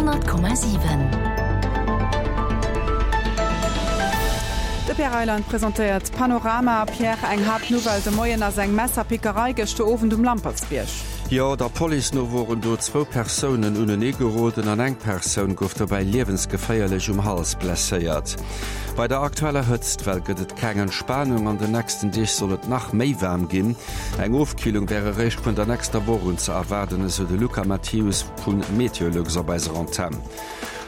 100,7. De Pierre Reyland presentéiert Panorama. Pierre, eng Haaptnouvelle de Moien ass eng Messerpickerei gëschter Owend um Lampertsbierg. Jo, der Police no woren do zwou Persounen unenee geroden an eng Persoun gouf dobäi liewensgeféierlech um Hals blesséiert. Bei der aktueller Hëtztwell gëtt et keng Entspanung. An den nächsten Deeg soll et nach méi waarm ginn. Eng Ofkillung wär eréischt vun der nächster Woch un ze erwaarden, esou de Luca Mathius vu Meteolux op eiser Antenn.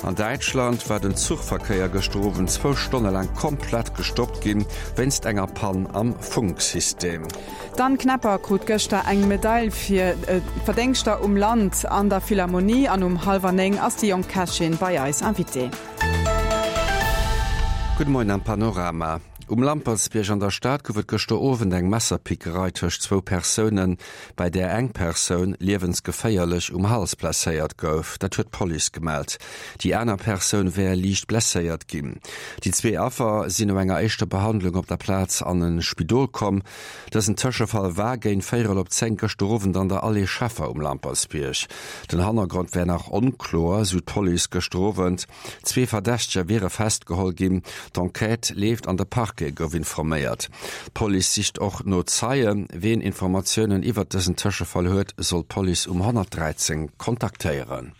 An Däitschland war den Zuchverkéier gëschter Owend zwou Stonne laang komplett gestoppt ginn, wéinst enger Pann am Funksystem. D'Anne Knepper krut gëschter eng Medail fir Verdéngschter um Land an der Philharmonie an um hallwer 9 ass déi jonk Kächin bei eis Invitée. Gudde Moien am Panorama. Um Lampertsbierg an der Stad gouf et gëschter Owend eng Messerpickerei tëscht zwou Persounen, bei där eng Persoun liewensgeféierlech um Hals blesséiert gouf. Dat huet d'Police gemellt. Déi aner Persoun wär liicht blesséiert ginn. Déi zwee Affer sinn no enger éischter Behandlung op der Plaz an e Spidol komm. Dësen Tëschefall war géint véierel op 10 gëschter Owend an der Allée Scheffer um Lampertsbierg. Den Hannergrond wär nach onkloer, sou d'Police gëschter Owend. Zwee Verdächteger wiere festgeholl ginn. D'Enquête leeft an de Parquet gouf informéiert. D'Police sicht och no Zeien. Ween Informatiounen iwwert dësen Tëschefall huet, soll d'Police um 113 kontaktéieren.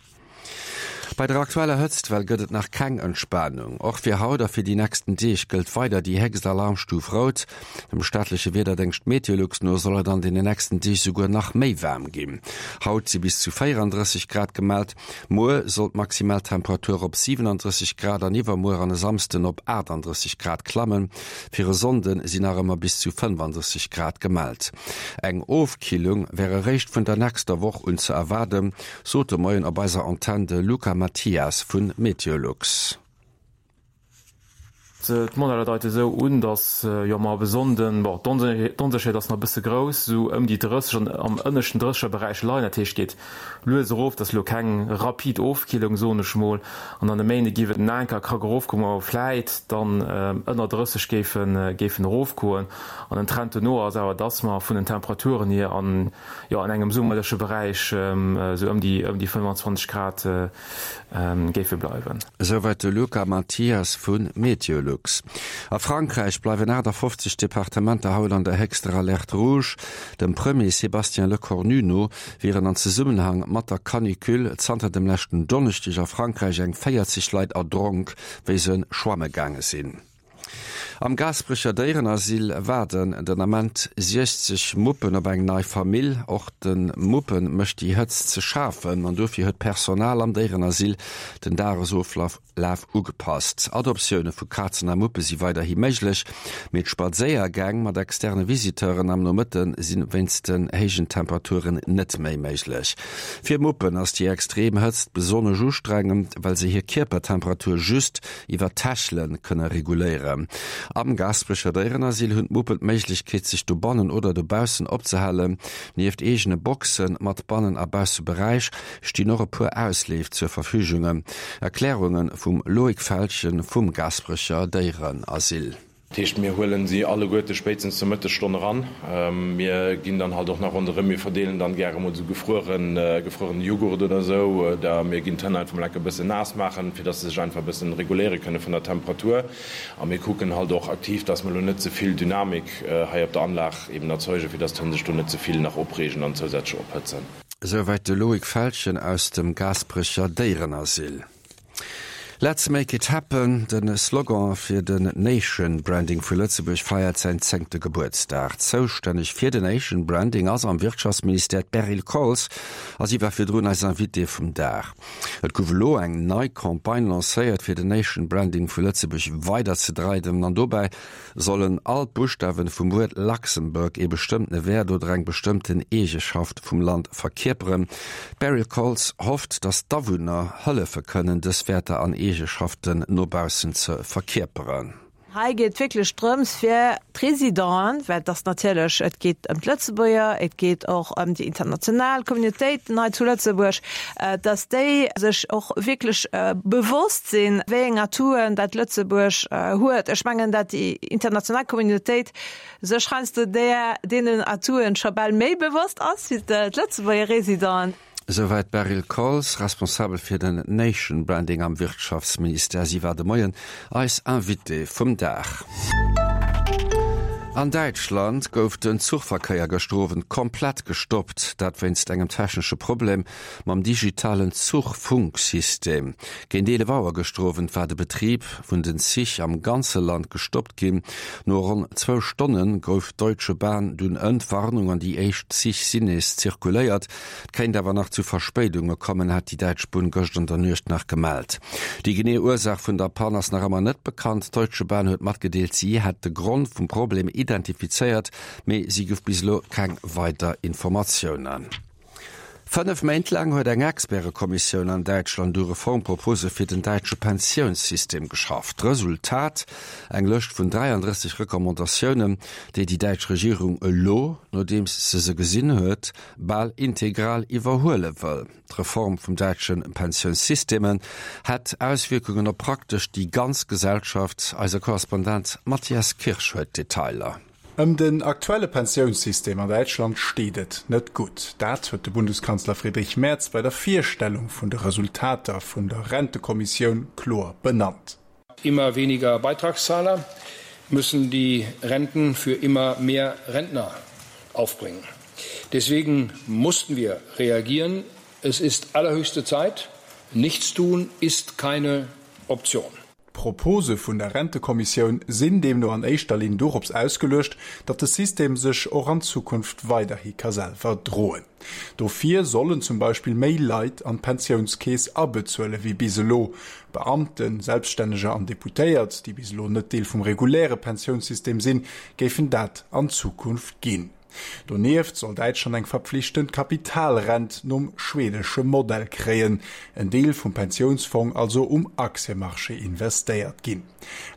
Bei der aktueller Hëtztwell gëtt et nach keng Entspanung. Och fir haut a fir déi nächsten Deeg gëllt weider déi héchst Alarmstuf rout. Dem staatleche Wiederdéngscht Meteolux no soll et an den nächsten Deeg souguer nach méi waarm ginn. Haut si bis zu 34 Grad gemellt, muer soll d'Maximaltemperatur op 37 Grad an iwwermuer an e Samsden op 38 Grad klammen. Fir e Sonnde sinn nach ëmmer bis zu 35 Grad gemellt. Eng Ofkillung wär eréischt vun der nächster Woch un ze erwaarden. Sot de Moien op eiser Antenn de Luca Mathias vu Meteolux. D'Modeller deite sou un, dass jo mer ab e Sonnden, bon d'Onsécherheet ass nach e bësse grouss, sou ëm déi 30 an am ënneschten Drëssegerberäich leien. Dat heescht, et geet lues erof, et ass elo keng rapid Ofkillung, soen ech mol. An an e Méinde géif et en enker Krack erofgoen, wou mer vläit dann ënner 30 géifen géifen erofgoen. An den Trend dono ass awer, dass mer vun den Temperaturen hier an jo an engem summerleche Beräich esou ëm déi ëm déi 25 Grad géife bleiwen. Esouwäit de Luca Mathias vu Meteolux. A Frankräich bleiwen 58 Departementer haut an der héchster Alerte rouge. Dem Premier Sébastien Lecornu no wieren an Zesummenhang mat der Canicule zanter dem leschten Donneschdeg a Frankräich eng 40 Leit erdronk, wéi se schwamme gaange sinn. Am Gaasperecher Déierenasyl waarden den Ament 60 Muppen op eng nei Famill. Och de Muppe mécht déi Hëtzt ze schafen an dofir huet d'Personal am Déierenasyl den Dagesoflaf ugepasst. Adoptioune vu Kazen a Muppe si weiderhi méiglech, mee d'Spadséiergäng mat externe Visiteuren am Nomëtte si wéinst den héijen Temperaturen net méi méiglech. Fir Muppen ass déi extrem Hëtzt besonnesch ustrengend, well se hir Kierpertemperatur just iwwer d'Hechele kënne reguléieren. Am Gaasperecher Déierenasyl hunn d'Muppen d'Méiglechkeet, sech dobannen oder dobaussen opzehalen. Nieft eegene Boxe mat Bannen a Bausseberäich stinn och e puer Ausleef zur Verfügunge. Erklärunge vum Loïc Feltgen vum Gaasperecher Déierenasyl. Dat heescht, mir huelen si alleguerte spéitstens zur Mëttesstonn eran. Mir ginn dann halt och nach ronderëm, mir verdeelen dann gäre mol esou gefrueren, gefruerene Jughurt oder esou, oder mir ginn d'Hënn einfach mol enke bëssen naass maachen, fir dass se sech einfach e bëssen reguléiere kënne vun der Temperatur. A mir kucken halt och aktiv, dass mer elo net ze vill Dynamik hei op der Anlag eben erzeugen, fir dass d'Hënn sech do net ze vill nach opreegen an zousätzlech ophëtzen. Esouwäit de Loïc Feltgen aus dem Gaasperecher Déierenasyl. Let's make it happen, de Slogan fir den Nation Branding vu Lëtzebuerg feiert säin zéngte Gebuertsdag. Zoustänneg fir den Nation Branding ass am Wirtschaftsministère d'Beryl Koltz a si war virdrun eis Invitée vum Dag. Et gouf elo eng nei Campagne lancéiert fir den Nation Branding vu Lëtzebuerg weider ze dreiwen an dobäi Sollen all d'Buschtawen vum Wuert Luxembourg ee bestëmmtene Wäert oder eng bestëmmten Eegeschaft vum Land verkierperen? D'Beryl Koltz hofft, datt d'Awunner hëllefe kënnen, dës Wäerter an Eegeschaften no baussen ze verkierperen. Hei geet et wierklech drëms, fir d'Residenten, well et ass natierlech, et geet ëm d'Lëtzebuerger, et geet och ëm déi international Communautéiten hei zu Lëtzebuerg, dass déi sech och wierklech bewosst sinn, wéi eng Atouen dat Lëtzebuerg huet. Ech mengen, dat déi international Communautéit sech heiansdo där, deenen Atouen scho bal méi bewosst ass wéi d'Lëtzebuerger Résidenten. Esouwäit d'Beryl Kolz, Responsabel fir den Nation Branding am Wirtschaftsministère. Si war de Moien eis Invitée vum Dag. An Däitschland gouf den Zuchverkéier gëschter Owend komplett gestoppt, dat wéinst engem technesche Problem mam digitalen Zuchfunksystem. Géint 11 Auer gëschter Owend war de Betrib vun den Zich am ganze Land gestoppt ginn. No ronn zwou Stonne gouf d'Deutsche Bahn dunn Entwarnung an déi éischt Zich sinn nees zirkuléiert. Et kéint awer nach zu Verspéidunge kommen, hat déi däitsch Bunn gëscht an der Nuecht nach gemellt. Déi genee Ursaach vun der Pann ass nach ëmmer net bekannt. D'Deutsche Bahn huet matgedeelt, si hätt de Grond vum Problem identifizéiert, mee si gouf bis elo keng weider Informatiounen. 5 Méint laang huet eng Expertekommissioun an Däitschland u Reformpropose fir den däitsche Pensiounssystem geschafft. Resultat, eng Lëscht vun 33 Recommandatiounen, déi déi däitsch Regierung elo, nodeems se se gesinn huet, bal integral iwwerhuele wëll. D'Reform vum däitsche Pensiounssysteme hätt Auswierkungen op praktesch déi ganz Gesellschaft. Eise Korrespondent Matthias Kirsch huet d'Detailer. Ëm den aktuelle Pensiounssystem an Däitschland steet et net gutt. Dat huet de Bundeskanzler Friedrich Merz bei der Virstellung vun de Resultater vun der Rentekommissioun kloer benannt. Immer weniger Beitragszahler müssen die Renten für immer mehr Rentner aufbringen. Deswegen mussten wir reagieren. Es ist allerhöchste Zeit. Nichts tun ist keine Option. D'Propose vun der Rentekommissioun sinn deemno an éischter Linn dorops ausgeluecht, datt de System sech och an Zukunft weiderhi ka selwer droen. Dofir sollen zum Beispill méi Leit an d'Pensiounskeess abezuele wéi bis elo. Beamten, Selbststänneger an Deputéiert, déi bis elo net Deel vum reguläre Pensiounssystem sinn, géifen dat an Zukunft ginn. Donieft soll Däitschland eng verpflichtend Kapitalrent nom schwedesche Modell kréien, en Deel vum Pensiounsfong also um Aktiëmarché investéiert ginn.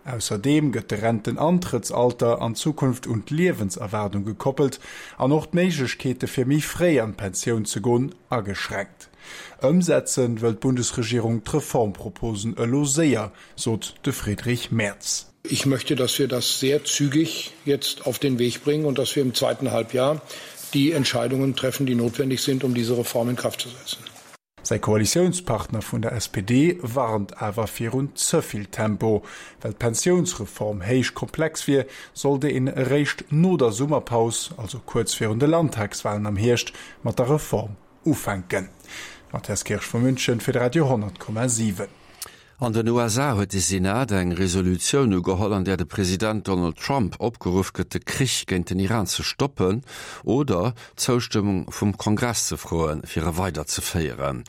Ausserdeem gëtt de Rentenantrëttsalter an Zukunft un d'Liewenserwaardung gekoppelt an och d'Méiglechkeete fir méi fréi an d'Pensioun ze goen ageschränkt. Ëmsetze wëll d'Bundesregierung d'Reformproposen elo séier, sot de Friedrich Merz. Ich möchte, dass wir das sehr zügig jetzt auf den Weg bringen und dass wir im zweiten Halbjahr die Entscheidungen treffen, die notwendig sind, um diese Reform in Kraft zu setzen. Säi Koalitiounspartner vun der SPD warnt awer virun ze vill Tempo. Well d'Pensiounsreform héich komplex wier, sollt een eréischt no der Summerpaus, also kuerz virun de Landtagswalen am Hierscht, mat der Reform ufänken. Matthias Kirsch vu München fir de Radio 10,7. An den USA huet de Senat eng Resolutioun ugeholl, an där de President Donald Trump opgeruff gëtt, de Krich géint den Iran ze stoppen oder d'Zoustëmmung vum Kongress ze froen, fir e weider ze féieren.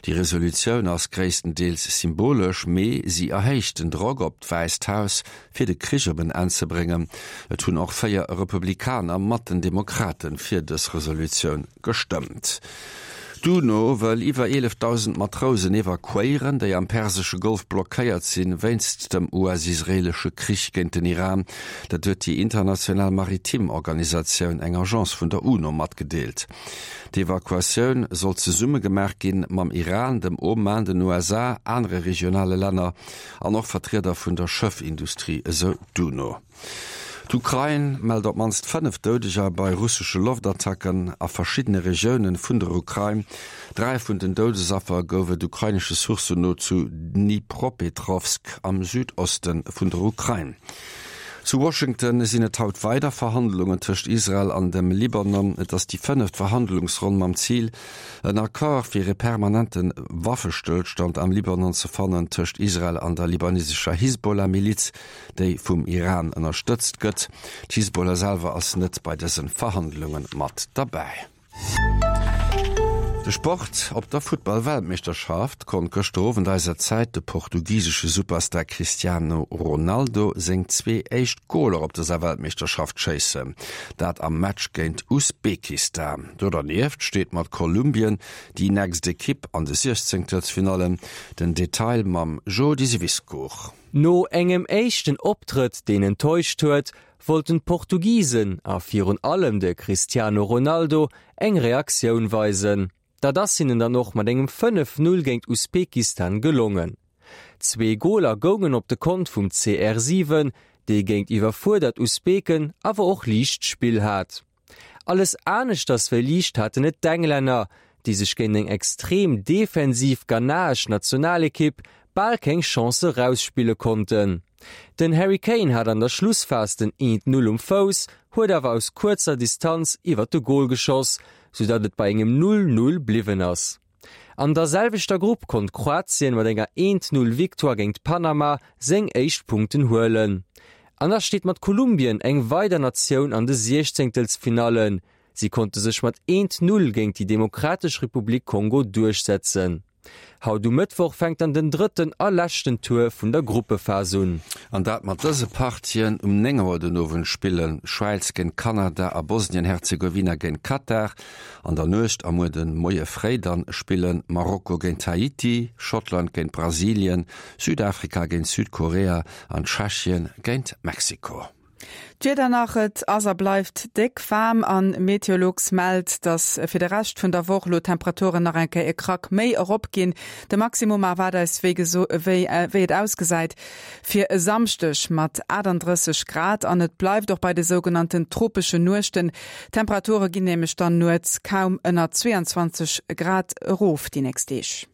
Déi Resolutioun ass gréisstendeels symbolesch, mee si erhéicht den Drock op d'Wäisst Haus, fir de Krich op en Enn ze bréngen. Et hunn och 4 Republikaner mat den Demokrate fir dës Resolutioun gestëmmt. D'UNO wëll iwwer 11.000 Matrousen evakuéieren, déi am persesche Golf blockéiert sinn, wéinst dem US-israeelesche Krich géint den Iran. Dat huet déi international maritim Organisatioun, eng Agence vun der UNO, matgedeelt. D'Evakuatioun soll zesumme gemaach ginn mam Iran, dem Oman, den USA, anere regionale Länner an och Vertrieder vun der Schëffindustrie, esou d'UNO. D'Ukrain mellt op d'mannst 5 Doudeger bei russesche Loftattacken a verschiddene Regioune vun der Ukrain. 3 vun den Doudesaffer gouf et ukrainesche Sourcen no zu Dnipropetrowsk am Südoste vun der Ukrain. Zu Washington sinn et haut weider Verhandlungen tëscht Israel an dem Libanon. Et ass déi fënneft Verhandlungsronn mam Zil, en Accord fir e permanente Waffestëllstand am Libanon ze fannen tëscht Israel an der libanesescher Hisbollah-Miliz, déi vum Iran ënnerstëtzt gëtt. D'Hisbollah selwer ass net bei dëse Verhandlunge mat derbäi. De Sport, Op der Futtball-Weltmeeschterschaft konnt gëschter Owend eiser Zäit de portugisesche Superstar Cristiano Ronaldo seng zwee éischt Goler op dëser Weltmeeschterschaft schéissen, dat am Match géint Usbekistan. Do dernieft steet mat Kolumbien déi nächst Ekipp an de Siechzéngtelsfinallen. Den Detail mam Jody Siwiscourt. No engem éischten Optrëtt, deen enttäuscht huet, wollten d'Portugisen a virun allem de Cristiano Ronaldo eng Reaktioun weisen. Dat ass hinnen dann och mat engem 5, 0 géint Usbekistan gelongen. Zwee Goler goungen op de Kont vum CR7, dee géint iwwerfuerdert Usbeken awer och liicht Spill hat. Alles aneschters wéi liicht haten et d'Englänner. déi sech géint eng extrem defensiv ghanaesch Nationalekipp bal keng Chance erausspille konnten. Den Harry Kane hat an der Schlussphas den 1, 0 um Fouss, huet awer aus kuerzer Distanz iwwer de Gol geschoss, soudatt et bei engem 0, 0 bliwwen ass. An der selwechter Grupp konnt Kroatien mat enger 1, 0 Victoire géint Panama seng éischt Punkten huelen. An da steet mat Kolumbien eng weider Natioun an de Siechzéngtelsfinallen. Si konnte sech mat 1, 0 géint déi Demokratesch Republik Kongo duerchsetzen. Haut um Mëttwoch fänkt dann den drëtten a leschten Tour vun der Gruppephas un. An dat mat dëse Partien, Um 9 Auer den Owend spillen Schwäiz géint Kanada a Bosnien-Herzegowina géint Katar. An der Nuecht a muer de Moie fréi dann spillen Marokko géint Haiti, Schottland géint Brasilien, Südafrika géint Südkorea an Tschechien géint Mexiko. D'Wieder nach, Et ass a bleift déck waarm an Meteolux mellt, dass fir de Rescht vun der Woch elo d'Temperaturen nach eng Kéier e Krack méi erop ginn. De Maximum erwaart eis wéi wéi et ausgesäit fir e Samschdeg mat 38 Grad an et bleift och bei de sougenannten tropesche Nuechten. D'Temperature ginn nämlech dann nuets kaum ënner 22 Grad erof déi nächst Deeg.